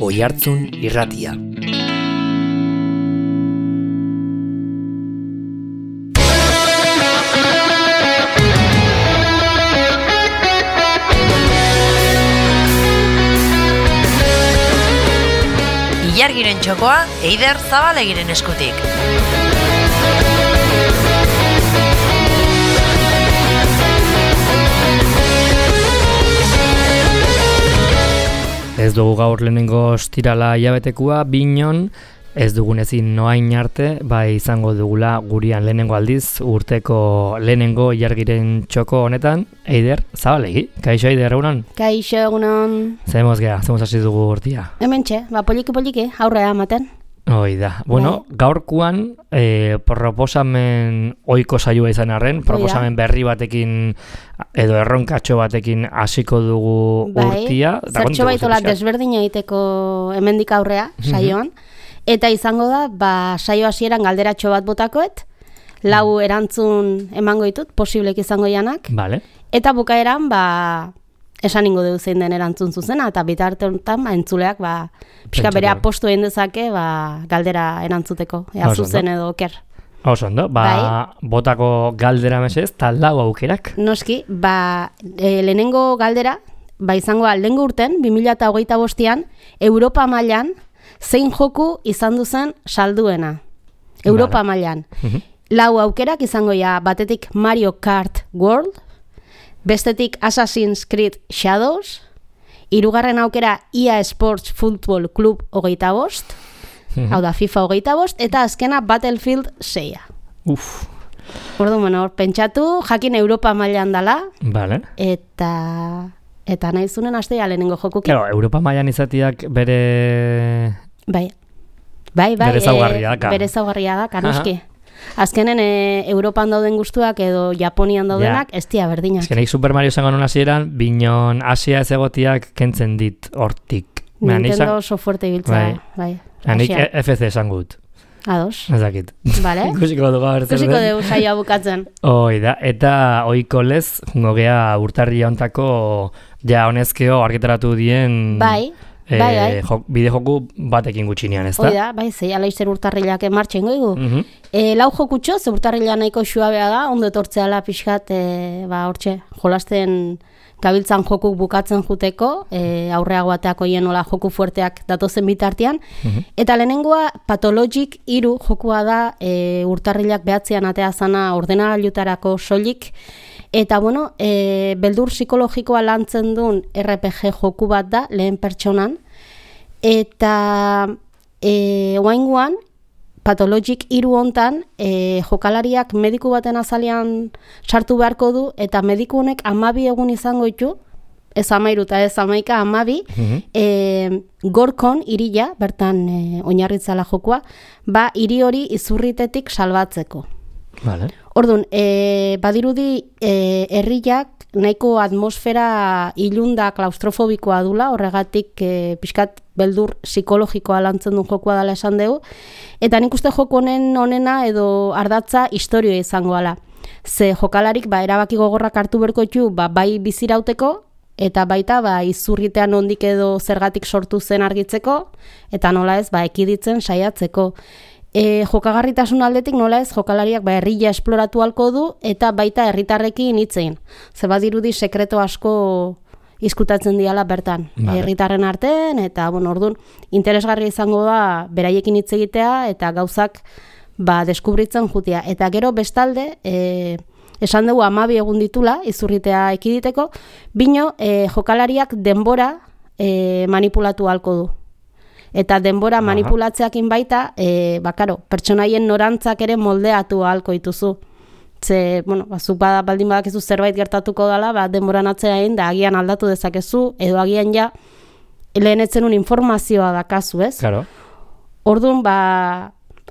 Oihartzun Irratia. Ilargiren txokoa Eider Zabalegiren eskutik. Ez dugu gaur lehenengo ostirala hilabetekua, binon, ez dugun ezin noain arte, bai izango dugula gurian lehenengo aldiz, urteko lehenengo ilargiren txoko honetan, Eider Zabalegi. Kaixo Eider, egunon? Kaixo, egunon. Zemuz hasi dugu urtia? Hementxe, poliki, aurrea ematen. Hoi da. Bueno, gaurkoan proposamen ohiko saioa izan arren, proposamen berri batekin edo erronkatxo batekin hasiko dugu urtia. Zertxo baitola desberdina egiteko hemendik aurrea saioan. Eta izango da, saio hasieran galderatxo bat botakoet, 4 erantzun emango ditut, posiblek izango janak. Vale. Eta bukaeran, esan ingo dugu zein den erantzun zuzena, eta bitarte honetan, entzuleak, pixka bere apostu egin dezake, galdera erantzuteko, zuzen edo oker. Oso ondo, botako galdera mesez, tal 4 aukerak. Noski, lehenengo galdera, izango lehengo urten, 2025an, Europa mailan, zein joku izan duzen salduena. Europa mailan. 4 aukerak izango batetik Mario Kart World, bestetik Assassin's Creed Shadows, 3. aukera EA Sports Football Club 25, hau da FIFA 25, eta azkena Battlefield 6. Orduan, pentsatu, jakin Europa mailan dala, vale. Eta nahi zunen astea lehenengo jokuki. Claro, Europa mailan izatiak bere... Bai, bere zaugarria daka. Bere zaugarria daka, noski. Azkenen Europan dauden guztuak edo Japonian daudenak, ez dira berdinak. Azkenek Super Mario zango non hasieran, binon Asia ez egotiak kentzen dit hortik. Nintendo oso fuerte ibiltza. Bai. Hanik FC esan gut. Ados. Ez dakit. Vale. Ikusiko dugu saioa bukatzen. Hoi da, eta oiko lez, jungo gea urtarria ontako honezkeo argitaratu dien... Bai. Bide joku batekin gutxinean, ez da? Hoi da, zei alaizzer urtarrilak martxen goigu. 4 jokutxo, ze urtarrila nahiko xuabea da, ondo etortzeala pixkat, hortxe, jolasten gabiltzan jokuk bukatzen juteko, aurreago bateako hienola joku fuerteak datozen bitartean. Eta lehenengoa, Pathologic 3 jokua da, urtarrilak behatzean atea zana ordenagailutarako soilik. Eta, beldur psikologikoa lantzen duen RPG joku bat da, lehen pertsonan. Eta, oaingoan, Pathologic 3 hontan, jokalariak mediku baten azalean sartu beharko du, eta mediku honek 12 egun izango ditu, ez 13 eta ez 11, 12, Gorkon irila, bertan oinarritzala jokua, hiri hori izurritetik salbatzeko. Vale. Orduan, badirudi herriak nahiko atmosfera ilunda klaustrofobikoa dula, horregatik pixkat beldur psikologikoa lantzen duen jokua dela esan dugu, eta nik uste joku honena edo ardatza historioa izango ala. Ze jokalarik erabaki gogorrak hartu berko ditu bai bizirauteko, eta baita izurritean ondik edo zergatik sortu zen argitzeko, eta nola ez ekiditzen saiatzeko. Jokagarritasun aldetik nola ez jokalariak herria esploratu halko du eta baita herritarrekin hitzein. Ze badirudi sekreto asko izkutatzen diala bertan. Herritarren artean eta orduan interesgarria izango da beraiekin hitz egitea eta gauzak deskubritzen jutea. Eta gero bestalde esan dugu 12 egun ditula izurritea ekiditeko, bino jokalariak denbora manipulatu halko du. Eta denbora manipulatzeakin baita, pertsonaien norantzak ere moldeatu ahalko dituzu. Ze, zuk baldin badakizu zerbait gertatuko dela, denboran atzeain da agian aldatu dezakezu, edo agian lehenetzen un informazioa dakazu, ez? Claro. Orduan,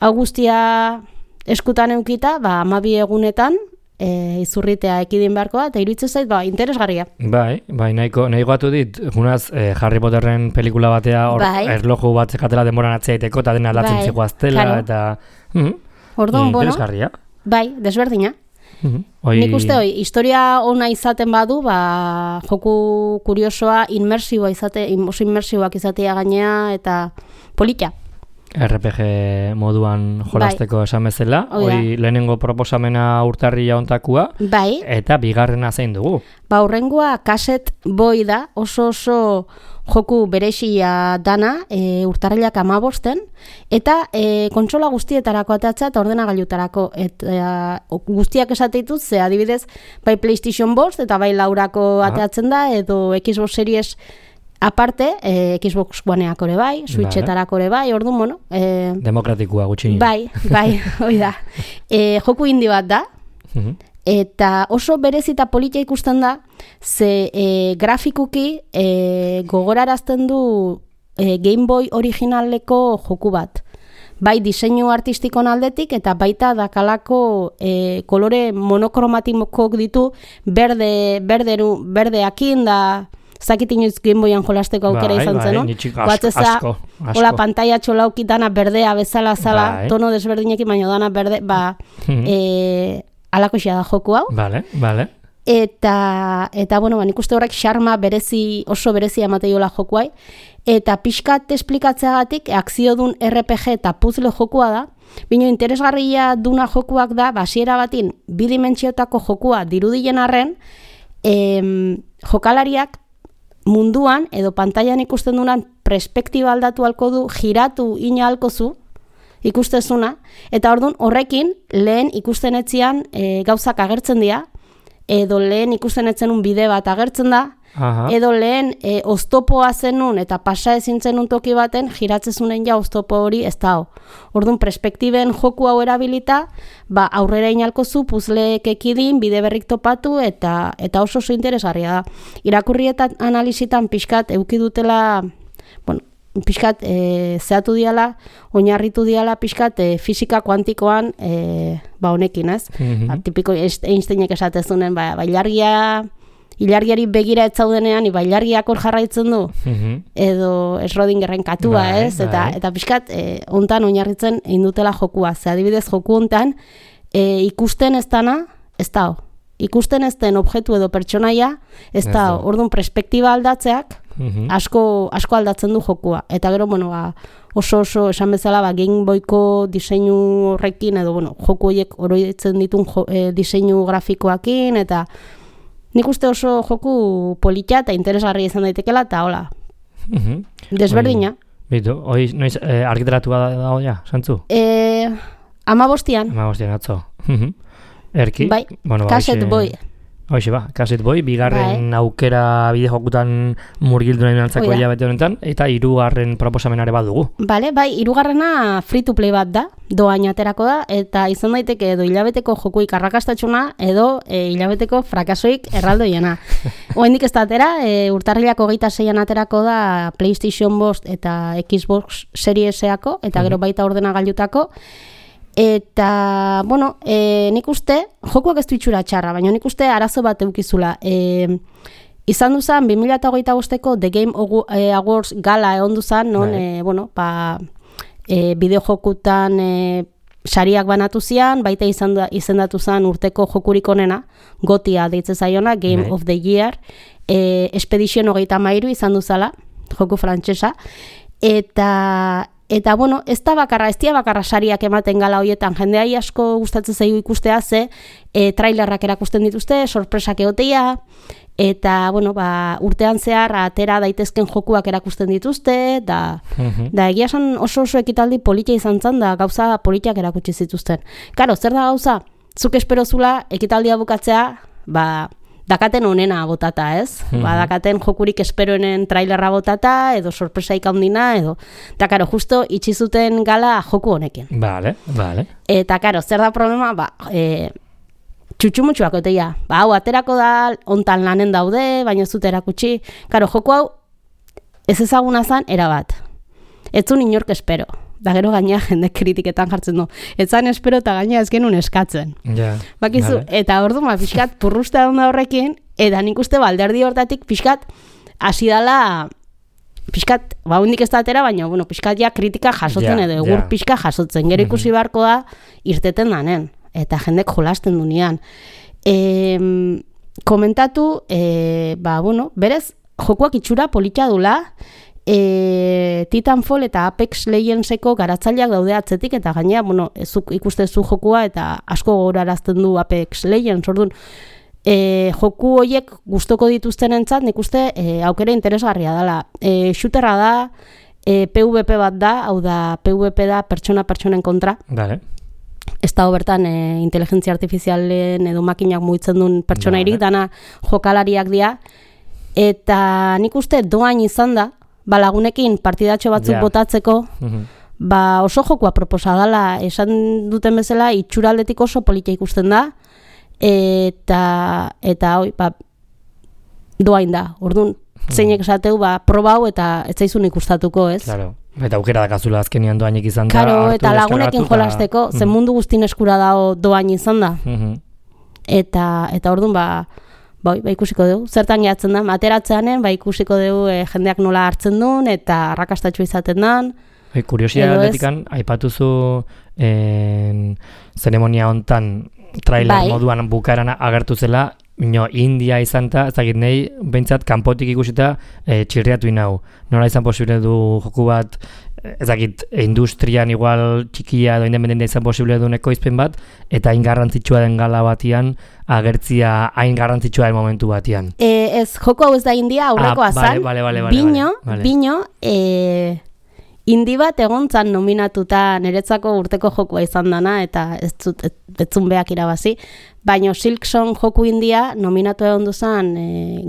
hau guztia eskutan eukita, 12 egunetan, izurritea ekidin beharko da, eta iruditzen zait, interesgarria. Bai, nahi goatu dit, junaz, Harry Potterren pelikula batea, erloju bat zekatela denboran atzeaiteko, eta dena aldatzen zikoaztela, eta... Orduan, interesgarria. Bai, desberdina. Nik uste historia ona izaten badu, joku kuriosoa oso inmersiboak izatea gainea eta polita. RPG moduan jolasteko esan bezala, hori lehenengo proposamena urtarria ontakua, eta bigarrena zein dugu. Hurrengoa Cassette Boy da, oso joku berexia dana, urtarrilak 15, eta kontsola guztietarako ateatzea eta ordenagailutarako. Guztiak esate ditut, ze adibidez, bai PlayStation 5 eta bai laurako ateatzen da, edo Xbox Series aparte, Xbox Oneak ore bai, Switchetarako ore bai, orduan, bueno... Demokratikua gutxi. Bai, hoi da. Joku indie bat da, eta oso berezita polita ikusten da, ze grafikuki gogorarazten du Game Boy originaleko joku bat. Bai diseinu artistikon aldetik eta baita dakalako kolore monokromatikok ditu berdeakin da... Zakit inoiz Game Boyan jolasteko aukera izan zen, no? Asko. Hola pantalla txolauki dana berdea bezala zala, tono desberdinekin, baina dana berde, alako xea da joku hau. Vale. Eta bueno, nik uste horrek xarma oso berezi amateiola jokuai. Eta pixkat esplikatzeagatik, akziodun RPG eta puzzle jokua da, bino interesgarria duna jokuak da, hasiera batin, bidimentsiotako jokua dirudien arren, jokalariak munduan edo pantailan ikusten dunan perspektiba aldatu halko du, giratu ina halko zu ikustezuna, eta orduan horrekin lehen ikusten etzian gauzak agertzen dira, edo lehen ikusten etzenun bide bat agertzen da, edo lehen oztopoa zenun eta pasa ezin zenun toki baten giratzezunen ja oztopo hori ez da. Orduan perspektiben joku hau erabilita, aurrera inalko zu puzleek ekidin, bide berrik topatu eta oso interesgarria da. Irakurri eta analizitan pixkat eukidutela, bueno, pixkat zehatu diala, oinarritu diala pixkat fisika kuantikoan honekin, ez? Tipiko Einsteinek esatezunen, ilargiari begira ez zaudenean, ilargiak hor jarraitzen du, edo Schrödingerren katua, ez? Eta pixkat, hontan oinarritzen indutela jokua. Ze adibidez, joku hontan, ikusten ez dana, ez da. Ikusten ez den objektu edo pertsonaia, ez da. Orduan, perspektiba aldatzeak, asko aldatzen du jokua. Eta gero, bueno, oso esan bezala, Game Boyko diseinu horrekin, edo, bueno, joku horiek oroitzen ditun diseinu grafikoakin, eta nik uste oso joku polita eta interesgarria izan daitekela, eta hola, desberdina. Bitu, hoi noiz argitaratua dago ja, santzu? 15. 15 atzo. Erki? Bai, Cassette Boy. Hoxe Cassette Boy, bigarren aukera bide jokutan murgildu nahi nantzako hilabete honetan, eta 3. proposamenare bat dugu. Bai, 3. free to play bat da, doain aterako da, eta izan daiteke edo hilabeteko jokuik arrakastatxuna, edo hilabeteko frakasoik erraldoiena. Oendik ez da atera, urtarrilak 26an aterako da PlayStation 5 eta Xbox Series-eako, eta gero baita ordenagailutako. Eta, bueno, nik uste, jokuak ez du itxura txarra, baina nik uste arazo bat eukizula. Izan duzan, 2025ko The Game Awards gala egon duzan, non, bideojokutan sariak banatu zian, baita izendatu zen urteko jokurik onena, gotia deitze zaiona, Game of the Year, Expedition 33 izan duzala, joku frantsesa, Eta, bueno, ez dia bakarra sariak ematen gala hoietan, jendeai asko gustatzen zaigu ikustea, ze trailerrak erakusten dituzte, sorpresak egotea, eta, bueno, urtean zehar atera daitezken jokuak erakusten dituzte, da egia esan oso ekitaldi polita izan zen, da gauza politiak erakutsi zituzten. Karo, zer da gauza? Zuk espero zula ekitaldia bukatzea, dakaten onena botata, ez? Dakaten jokurik esperoenen trailerra botata, edo sorpresaik handina, edo... Eta, karo, justo itxizuten gala joku honekin. Vale. Eta, karo, zer da problema? Txutxumutxuak oteia. Hau, aterako da, ontan lanen daude, baina zut erakutsi. Karo, joku hau, ez ezaguna zan, erabat. Ez zuen inork espero. Da gero gaina jende kritiketan jartzen du. Ez zan espero eta gaina ez genuen eskatzen. Bakizu, eta orduan pixkat purrusta da horrekin, eta nik uste alderdi hortatik pixkat hasi dala, pixkat, hundik ez da atera, baina pixkat ja kritika jasotzen edo egur pixka jasotzen. Gero ikusi beharko da irteten danen. eta jendek jolasten dunean. Komentatu, berez, jokuak itxura polita dula, Titanfall eta Apex Legendseko garatzaileak daude atzetik, eta gainea, zuk ikustezu jokua eta asko gogorarazten du Apex Legends, orduan, joku horiek gustoko dituztenentzat nik uste aukera interesgarria dela. Shooterra da, PvP bat da, hau da PvP da pertsona-pertsonen kontra. Vale. Ez dago bertan inteligentzia artifizialen edo makinak mugitzen duen pertsonairik, dana jokalariak dira. Eta nik uste doain izan da, lagunekin partidatxo batzuk botatzeko, oso jokua proposa dela, esan duten bezala, itxuraldetik oso polita ikusten da, eta doain da, orduan, zeinek esateu, probau eta ez zaizun ikustatuko, ez? Claro. Eta aukera dakazula azkenian doainik izan da. Karo, eta lagunekin jolasteko, zen mundu guztin eskura dago doain izan da. Eta orduan, ikusiko dugu. Zertan gehatzen da, ateratzeanen, ikusiko dugu jendeak nola hartzen duen, eta arrakastatxo izaten den. Kuriosia aldetikan, aipatuzu zeremonia hontan trailer moduan bukaeran agertu zela, India izan eta, ezagit nahi, behintzat, kanpotik ikusita txirriatu inau. Nola izan posible du joku bat, ezagit, industrian igual txikia edo independentea izan posible du ekoizpen bat, eta hain garrantzitsua den gala batian, agertzia hain garrantzitsua den momentu batian. Ez, joko hau ez da India, aurrekoa zan. Bino, Indi bat egontzan nominatuta niretzako urteko jokua izan dana, eta ez zun beak irabazi, baina Silksong joku India nominatu egon duzan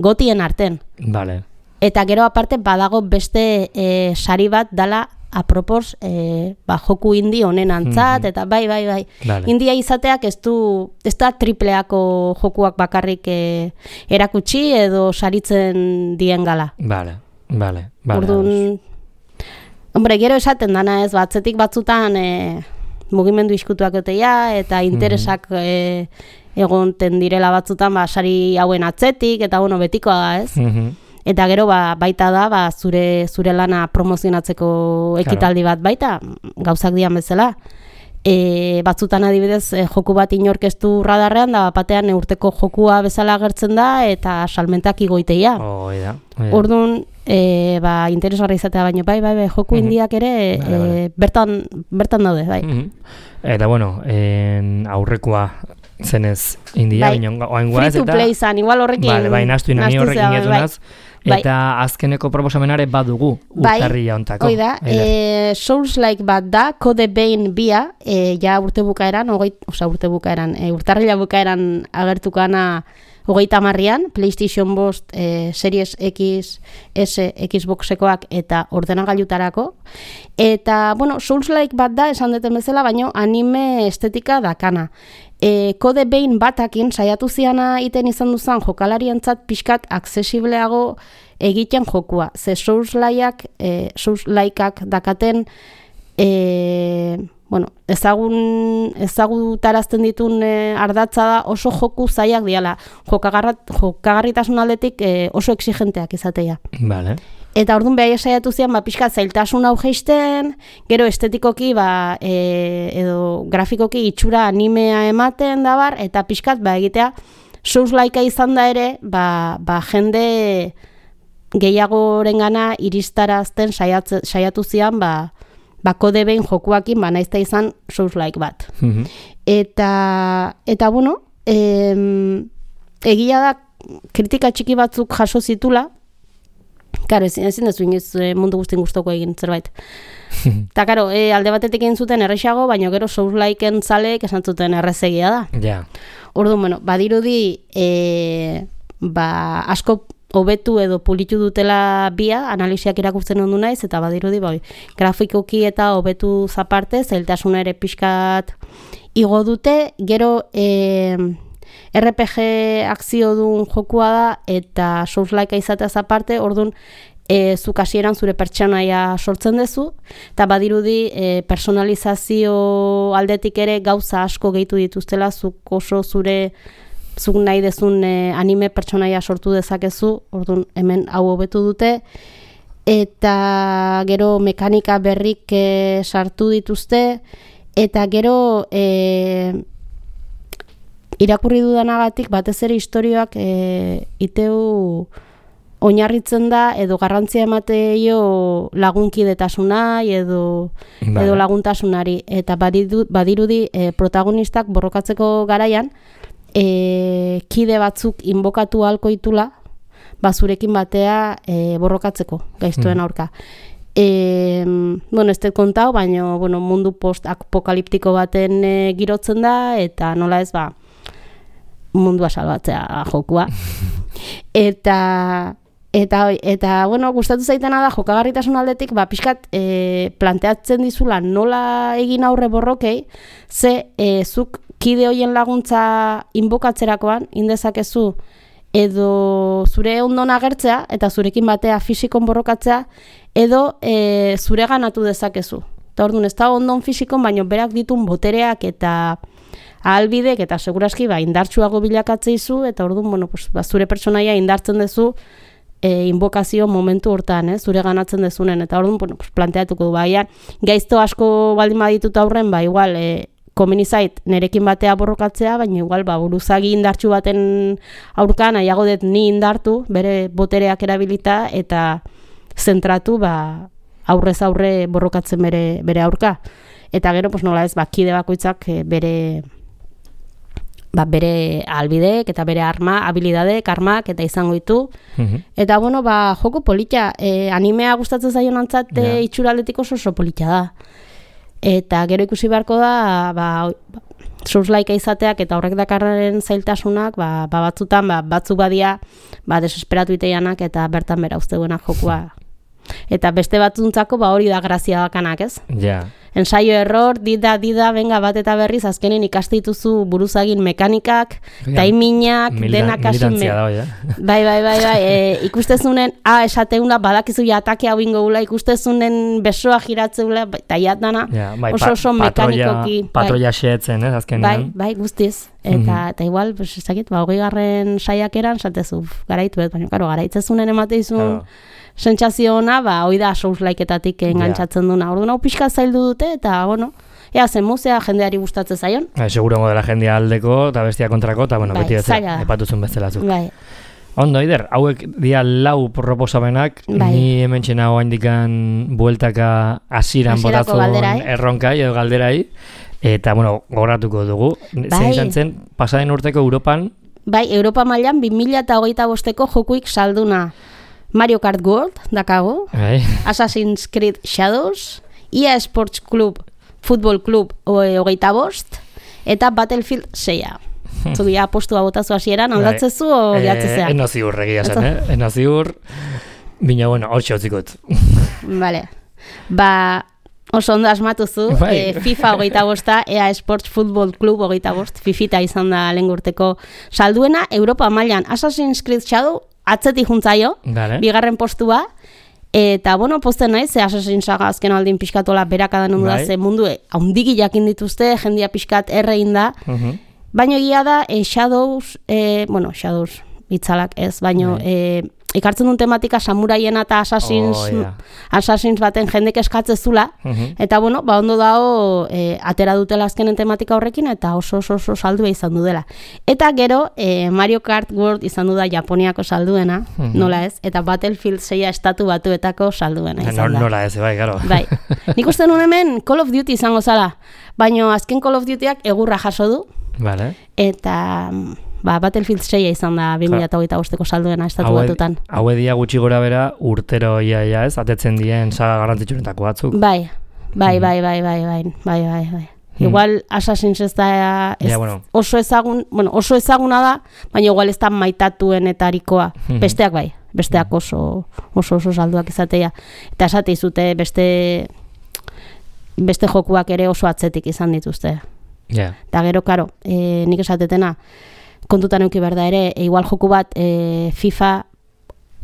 gotien arten. Vale. Eta gero aparte badago beste sari bat dala apropos joku indi honen antzat, eta bai. Vale. India izateak ez da tripleako jokuak bakarrik erakutsi edo saritzen dien gala. Vale. Orduan, gero esaten dana ez, batzetik batzutan mugimendu iskutuak egotea, eta interesak egonten direla batzutan sari hauen atzetik, eta betikoa da ez. Eta gero baita da zure lana promozionatzeko ekitaldi bat baita, gauzak dian bezala. Batzutan adibidez joku bat inorkestu radarrean, da batean urteko jokua bezala agertzen da, eta salmentak igoiteia. Orduan, interesgarri izatea baino, bai, joku indiak ere bertan daude, bai. Eta aurrekoa zenez India, free to play zan, igual horrekin nastu horrekin etunaz, eta azkeneko proposamenare badugu urtarria ontako. Da, Souls-like bat da, Code Vein bia, ja urte bukaeran, urtarrila bukaeran agertukana 30an, PlayStation 5, Series X, S, Xboxekoak eta ordenagailutarako. Eta, Souls-like bat da, esan duten bezala, baino anime estetika dakana. Code Vein batakin saiatu ziana iten izan duzan jokalarientzat pixkat aksesibleago egiten jokua. Ze Souls-likeak dakaten ezagutarazten ditun ardatza da oso joku zaiak diala. Jokagarritasun aldetik oso exigenteak izatea. Vale. Eta orduan behar saiatu zian, pixkat zailtasun hau geisten, gero estetikoki, edo grafikoki itxura animea ematen dabar, eta pixkat egitea Souls-likea izan da ere, jende gehiagorengana iristarazten saiatu zian, Code Vein jokuakin, naizta izan Souls-like bat. Eta egia da, kritika txiki batzuk jaso zitula, karo, ezin dezu inoiz mundu guztien guztoko egin zerbait. Eta karo, alde batetik egin zuten errexago, baina gero Souls-liken zaleek esan zuten errezegia da. Orduan, badirudi asko hobetu edo pulitu dutela bia, analisiak irakurtzen ondu naiz, eta badirudi grafikoki eta hobetu zaparte, zailtasuna ere pixkat igo dute, gero RPG akzio duen jokua da, eta Souls-likea izatea zaparte, orduan zuk hasieran zure pertsonaia sortzen duzu, eta badirudi personalizazio aldetik ere gauza asko gehitu dituztela, zuk oso zuk nahi dezun anime pertsonaia sortu dezakezu, orduan hemen hau hobetu dute, eta gero mekanika berrik sartu dituzte, eta gero irakurri dudanagatik batez ere istorioak iteu oinarritzen da edo garrantzia emateio lagunkidetasunai edo laguntasunari eta badirudi protagonistak borrokatzeko garaian kide batzuk inbokatu ahalko ditula zurekin batea borrokatzeko gaiztoen aurka. Ez dut kontau, baina mundu post-apokaliptiko baten girotzen da eta nola ez mundua salbatzea jokua. Eta gustatu zaitena da jokagarritasun aldetik, pixkat planteatzen dizula nola egin aurre borrokei, zuk kide hoien laguntza inbokatzerakoan, indezakezu, edo zure ondon agertzea, eta zurekin batea fisikon borrokatzea, edo zure ganatu dezakezu. Eta orduan, ez da ondon fisikon, baina berak ditun botereak eta ahalbidek, eta seguraski indartsuago bilakatzeizu, eta orduan, zure pertsonaia indartzen dezu, inbokazio momentu hortan, zure ganatzen dezunen, eta orduan, planteatuko du, gaizto asko baldin baditut aurren, igual, komeni zait nerekin batea borrokatzea, baina igual, buruzagi indartsu baten aurka, nahiago dut ni indartu, bere botereak erabilita, eta zentratu, aurrez aurre borrokatzen bere aurka. Eta gero, nola ez, kide bakoitzak bere albideek eta bere habilidadek, armak eta izango ditu. Eta, joko polita, animea gustatzen zaion antzat itxuraldetik oso polita da. Eta gero ikusi beharko da, Souls-like izateak eta horrek dakarren zailtasunak, batzutan, batzuk badia, desesperatu iteianak eta bertan bera usteguenak jokua. Eta beste batzuntzako hori da grazia bakanak, ez? Ja. Ensaio error, dida, venga bat eta berriz, azkenen ikaste dituzu buruzagin mekanikak, taiminak, denak hasi. Militantzia da, ja. Bai, ikustezunen, esateuna badakizu ja atake hau ingo gula, ikustezunen besoa giratzeula, eta jatdana, oso mekanikoki. Patroia xeetzen, azkenean. Bai, guztiz. Eta igual, ezakit, 20. saiakeran, satezu, garaitu, baina, garaitzezunen emateizun, sentsazio ona, hoi da Souls-like-etatik engantzatzen duna. Orduan hau pixka zaildu dute, eta, ea zen muzea jendeari gustatzen zaion. Seguro modela jendea aldeko, eta bestia kontrako, eta, beti bezala, epatuzun bezalazuk. Bai. Ondo, Eider, hauek dia 4 proposamenak, ni hemen txena oaindikan bueltaka asiran botatzen erronkai edo galderai, eta, gogoratuko dugu. Zein izan zen, pasaden urteko Europan? Bai, Europa mailan 2025ko jokuik salduna. Mario Kart World, dakago, Assassin's Creed Shadows, EA Sports Club, Football Club 25, eta Battlefield 6. Zubi, apostua botazu hasieran, aldatzezu o jatzezea? Eno ziur egia zen, eno ziur, bina, hor txotzikot. Vale, oso ondo asmatuzu, FIFA 25, EA Sports Football Club 25, Fifita izan da lehen urteko salduena, Europa mailan Assassin's Creed Shadow, atzetik juntzaio, bigarren postua, eta, posten naiz, Assassin's Saga azken aldin pixkatola berakadan ondu da, ze mundu haundiki jakin dituzte, jendia pixkat errein da, baina egia da, Shadows, Shadows, itzalak ez, baina ikartzen duen tematika samuraiena eta Assassins baten jendek eskatzezula, eta ondo dago atera dutela azkenen tematika horrekin, eta oso saldua izan du dela. Eta gero, Mario Kart World izan du da Japoniako salduena, nola ez, eta Battlefield 6 estatu batuetako salduena izan da. Nola ez, bai, garo. Bai, nik uste nuen hemen Call of Duty izango zala, baina azken Call of Dutyak egurra jaso du, eta Battlefield 6 izan da 2025ko salduena estatu batutan. Hau edia gutxi gora bera urtero ia ez, atetzen dien saga garrantzitsuenetako batzuk. Bai. Igual Assassin's ez da oso ezaguna da, baina igual ez da maitatuenetarikoa. Besteak bai, besteak oso salduak izatea. Eta esate izute beste jokuak ere oso atzetik izan dituzte. Eta gero, karo, nik esatetena, kontutan euki behar da ere, igual joku bat FIFA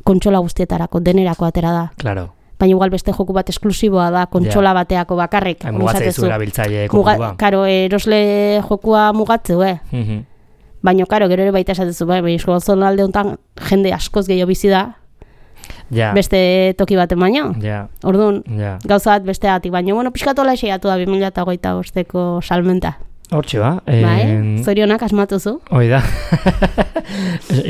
kontsola guztietarako, denerako atera da. Claro. Baina igual beste joku bat esklusiboa da, kontsola bateako bakarrik. Mugatzea izu erabiltzaile kopua. Karo, erosle jokua mugatzeu, Baina, karo, gero ere baita esatezu, baina eskoazon alde honetan jende askoz gehiago bizi da, beste toki baten baino. Orduan, gauza bat beste atik, baina, pixkatola eseiatu da 2025ko salmenta. Hortxe ba. Zorionak asmatuzu. Hoi da.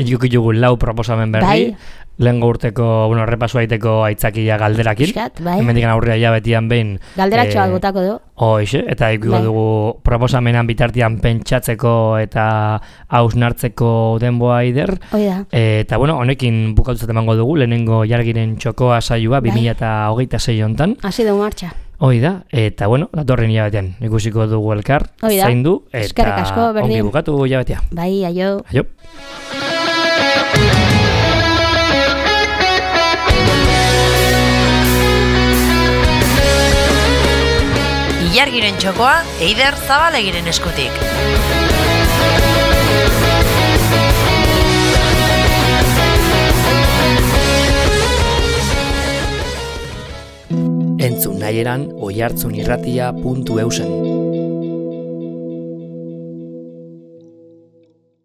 Jugu lau proposamen berri. Bai. Lehengo urteko, repasu aiteko aitzakia galderakin. Piskat, bai. Hemendik aurrera hilabetian behin. Galderatxoak botako du. Hoixe, eta ikuiko dugu proposamenan bitartian pentsatzeko eta hausnartzeko denboa Eider. Hoi da. Eta honekin bukatuzat emango dugu, lehenengo jargiren txokoa saioa 2026 hontan. Hasi dugu martxa. Hoi da, eta datorren hilabetean ikusiko dugu elkar, zaindu, eta ongi bukatu hilabetea. Bai, aio. Aio. Ilargiren txokoa, Eider Zabalegiren eskutik. Entzun nahieran oihartzunirratia.eusen.